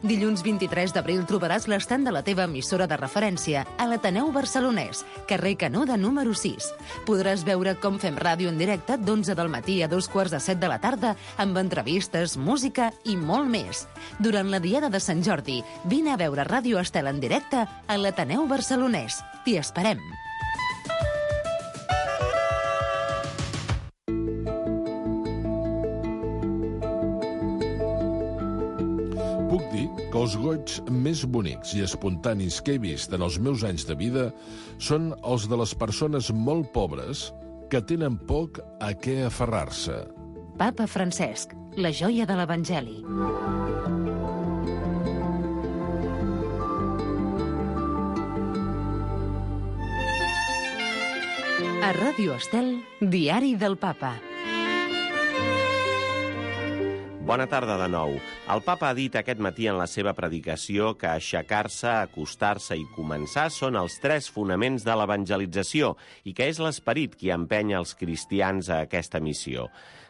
Dilluns 23 d'abril trobaràs l'estand de la teva emissora de referència a l'Ateneu Barcelonès, carrer Canuda número 6. Podràs veure com fem ràdio en directe d'11 del matí a 2:45 de la tarda amb entrevistes, música i molt més. Durant la Diada de Sant Jordi, vine a veure Ràdio Estel en directe a l'Ateneu Barcelonès. T'hi esperem. Puc dir que els goigs més bonics i espontanis que he vist en els meus anys de vida són els de les persones molt pobres que tenen poc a què aferrar-se. Papa Francesc, la joia de l'Evangeli. A Ràdio Estel, Diari del Papa. Bona tarda de nou. El papa ha dit aquest matí en la seva predicació que aixecar-se, acostar-se i començar són els 3 fonaments de l'evangelització i que és l'esperit qui empenya els cristians a aquesta missió.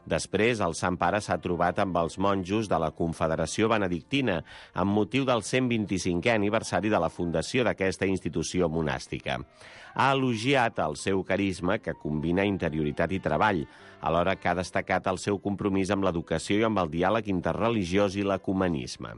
Després, el Sant Pare s'ha trobat amb els monjos de la Confederació Benedictina amb motiu del 125è aniversari de la fundació d'aquesta institució monàstica. Ha elogiat el seu carisma, que combina interioritat i treball, alhora que ha destacat el seu compromís amb l'educació i amb el diàleg interreligiós i l'ecumenisme.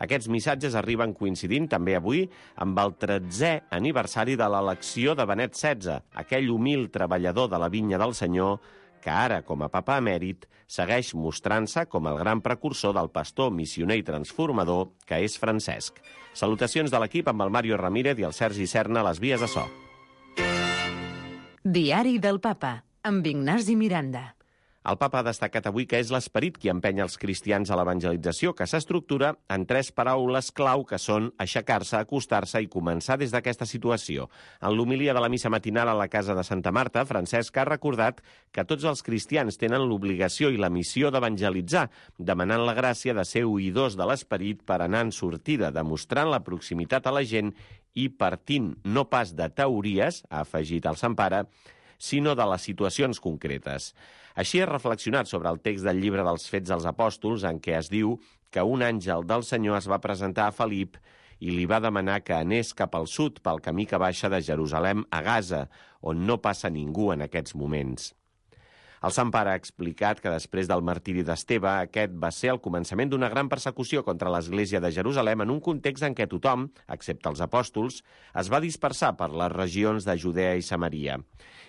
Aquests missatges arriben coincidint també avui amb el 13è aniversari de l'elecció de Benet XVI, aquell humil treballador de la vinya del Senyor que ara, com a papa emèrit, segueix mostrant-se com el gran precursor del pastor, missioner i transformador que és Francesc. Salutacions de l'equip amb el Mario Ramírez i el Sergi Serna a les vies de so. Diari del Papa, amb Ignasi Miranda. El papa ha destacat avui que és l'esperit qui empenya els cristians a l'evangelització, que s'estructura en 3 paraules clau que són aixecar-se, acostar-se i començar des d'aquesta situació. En l'homilia de la missa matinal a la casa de Santa Marta, Francesc ha recordat que tots els cristians tenen l'obligació i la missió d'evangelitzar, demanant la gràcia de ser oïdors de l'esperit per anar en sortida, demostrant la proximitat a la gent i partint no pas de teories, ha afegit el Sant Pare, sinó de les situacions concretes. Així he reflexionat sobre el text del llibre dels Fets dels Apòstols, en què es diu que un àngel del Senyor es va presentar a Felip i li va demanar que anés cap al sud pel camí que baixa de Jerusalem a Gaza, on no passa ningú en aquests moments. El Sant Pare ha explicat que després del martiri d'Esteve, aquest va ser el començament d'una gran persecució contra l'Església de Jerusalem en un context en què tothom, excepte els apòstols, es va dispersar per les regions de Judea i Samaria.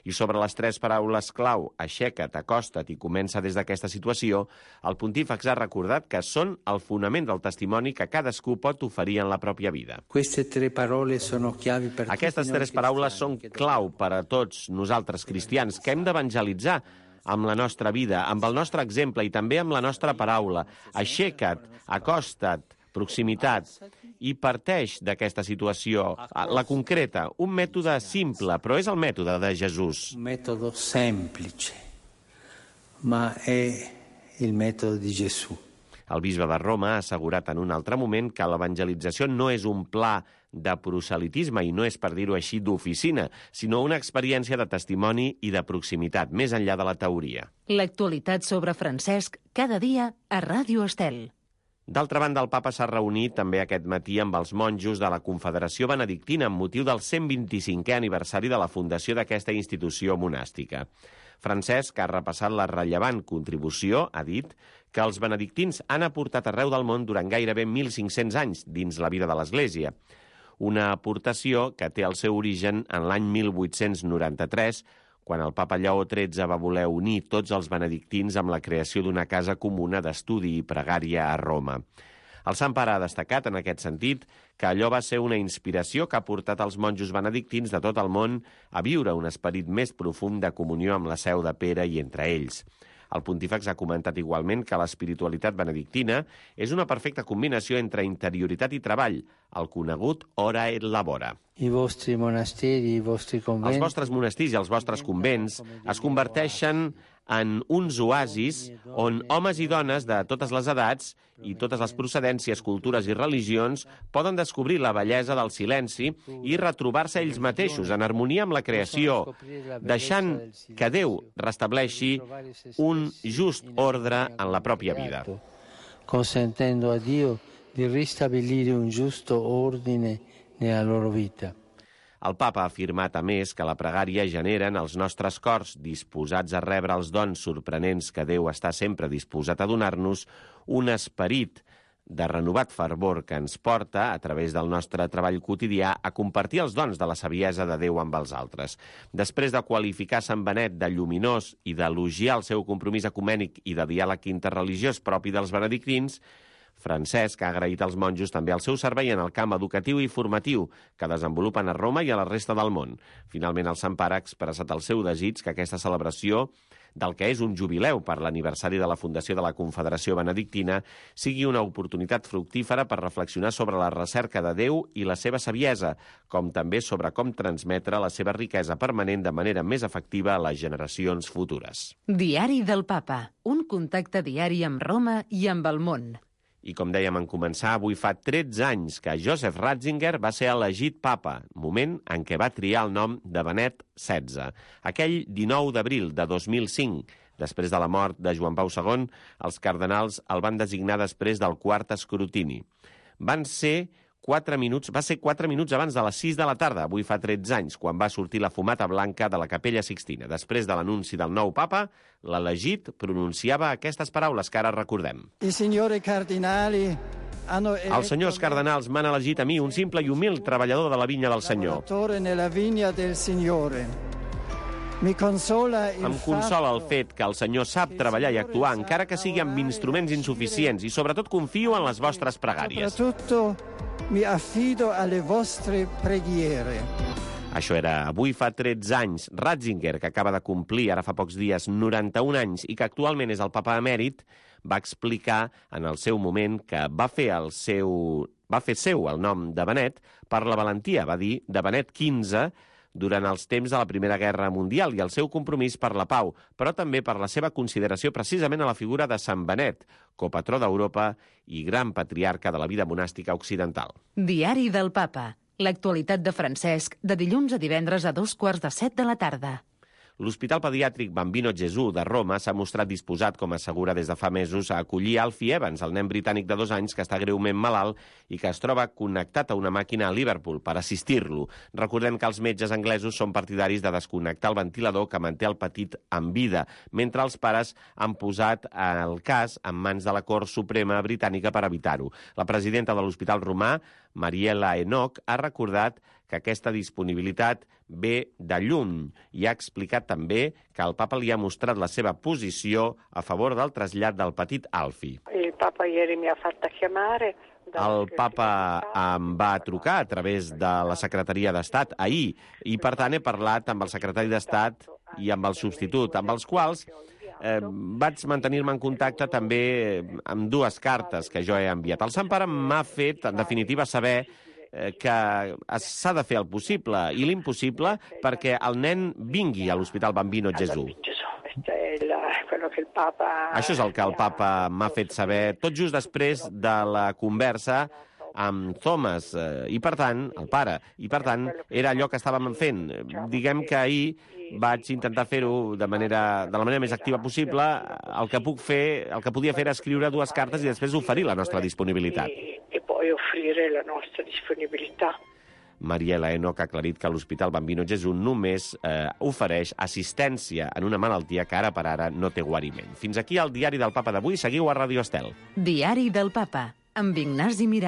I sobre les 3 paraules clau, aixeca't, acosta't i comença des d'aquesta situació, el pontífex ha recordat que són el fonament del testimoni que cadascú pot oferir en la pròpia vida. Aquestes 3 paraules són clau per a tots nosaltres cristians, que hem d'evangelitzar amb la nostra vida, amb el nostre exemple i també amb la nostra paraula. Aixeca't, acosta't, proximitat, i parteix d'aquesta situació, la concreta, un mètode simple, però és el mètode de Jesús. Un mètode semplice, ma è il mètode di Gesù. El bisbe de Roma ha assegurat en un altre moment que l'evangelització no és un pla de proselitisme i no és, per dir-ho així, d'oficina, sinó una experiència de testimoni i de proximitat, més enllà de la teoria. L'actualitat sobre Francesc, cada dia a Ràdio Estel. D'altra banda, el papa s'ha reunit també aquest matí amb els monjos de la Confederació Benedictina amb motiu del 125è aniversari de la fundació d'aquesta institució monàstica. Francesc ha repassat la rellevant contribució, ha dit, que els benedictins han aportat arreu del món durant gairebé 1.500 anys dins la vida de l'Església. Una aportació que té el seu origen en l'any 1893, quan el papa Lleó XIII va voler unir tots els benedictins amb la creació d'una casa comuna d'estudi i pregària a Roma. El Sant Pare ha destacat, en aquest sentit, que allò va ser una inspiració que ha portat els monjos benedictins de tot el món a viure un esperit més profund de comunió amb la seu de Pere i entre ells. El pontífex ha comentat igualment que l'espiritualitat benedictina és una perfecta combinació entre interioritat i treball, el conegut ora et labora. Els vostres monestirs i els vostres convents es converteixen en uns oasis on homes i dones de totes les edats i totes les procedències, cultures i religions poden descobrir la bellesa del silenci i retrobar-se ells mateixos en harmonia amb la creació, deixant que Déu restableixi un just ordre en la pròpia vida. Consentendo a Dio di ristabilire un giusto ordine nella loro vita. El papa ha afirmat, a més, que la pregària genera en els nostres cors, disposats a rebre els dons sorprenents que Déu està sempre disposat a donar-nos, un esperit de renovat fervor que ens porta, a través del nostre treball quotidià, a compartir els dons de la saviesa de Déu amb els altres. Després de qualificar Sant Benet de lluminós i d'elogiar el seu compromís ecumènic i de diàleg interreligiós propi dels benedictins, Francesc ha agraït als monjos també el seu servei en el camp educatiu i formatiu que desenvolupen a Roma i a la resta del món. Finalment, el Sant Pare ha expressat el seu desig que aquesta celebració del que és un jubileu per l'aniversari de la fundació de la Confederació Benedictina sigui una oportunitat fructífera per reflexionar sobre la recerca de Déu i la seva saviesa, com també sobre com transmetre la seva riquesa permanent de manera més efectiva a les generacions futures. Diari del Papa, un contacte diari amb Roma i amb el món. I com dèiem en començar, avui fa 13 anys que Joseph Ratzinger va ser elegit papa, moment en què va triar el nom de Benet XVI. Aquell 19 d'abril de 2005, després de la mort de Joan Pau II, els cardenals el van designar després del quart escrutini. Va ser 4 minuts abans de les 6 de la tarda, avui fa 13 anys, quan va sortir la fumata blanca de la Capella Sixtina. Després de l'anunci del nou papa, l'elegit pronunciava aquestes paraules que ara recordem. Els senyors cardenals m'han elegit a mi, un simple i humil treballador de la vinya del Senyor. Em consola el fet que el Senyor sap treballar i actuar, encara que sigui amb instruments insuficients, i sobretot confio en les vostres pregàries. Mi affido alle vostre preghiere. Això era avui fa 13 anys. Ratzinger, que acaba de complir ara fa pocs dies 91 anys i que actualment és el papa emèrit, va explicar en el seu moment que va fer seu el nom de Benet per la valentia, va dir, de Benet XV, durant els temps de la Primera Guerra Mundial i el seu compromís per la pau, però també per la seva consideració precisament a la figura de Sant Benet, copatró d'Europa i gran patriarca de la vida monàstica occidental. Diari del Papa. L'actualitat de Francesc, de dilluns a divendres a 6:45 de la tarda. L'Hospital Pediàtric Bambino Gesù de Roma s'ha mostrat disposat, com assegura des de fa mesos, a acollir Alfie Evans, el nen britànic de 2 anys que està greument malalt i que es troba connectat a una màquina a Liverpool per assistir-lo. Recordem que els metges anglesos són partidaris de desconnectar el ventilador que manté el petit en vida, mentre els pares han posat el cas en mans de la Cort Suprema britànica per evitar-ho. La presidenta de l'Hospital Romà, Mariela Enoch, ha recordat que aquesta disponibilitat ve de lluny i ha explicat també que el papa li ha mostrat la seva posició a favor del trasllat del petit Alfie. El papa ieri mi ha fatto chiamare. El papa em va trucar a través de la secretaria d'Estat ahir i, per tant, he parlat amb el secretari d'Estat i amb el substitut, amb els quals vaig mantenir-me en contacte també amb 2 cartes que jo he enviat. El Sant Pare m'ha fet, en definitiva, saber que s'ha de fer el possible i l'impossible perquè el nen vingui a l'Hospital Bambino Gesù. Això és el que el papa m'ha fet saber tot just després de la conversa amb Thomas, i per tant, el pare, i per tant, era allò que estàvem fent. Diguem que ahir vaig intentar fer-ho de la manera més activa possible. El que podia fer era escriure 2 cartes i després oferir la nostra disponibilitat. E poi offrire la nostra disponibilità. Mariela Enoch ha aclarit que l'Hospital Bambino Gesù només ofereix assistència en una malaltia que ara per ara no té guariment. Fins aquí el Diari del Papa d'avui. Seguiu a Ràdio Estel. Diari del Papa, amb Ignasi Miranda.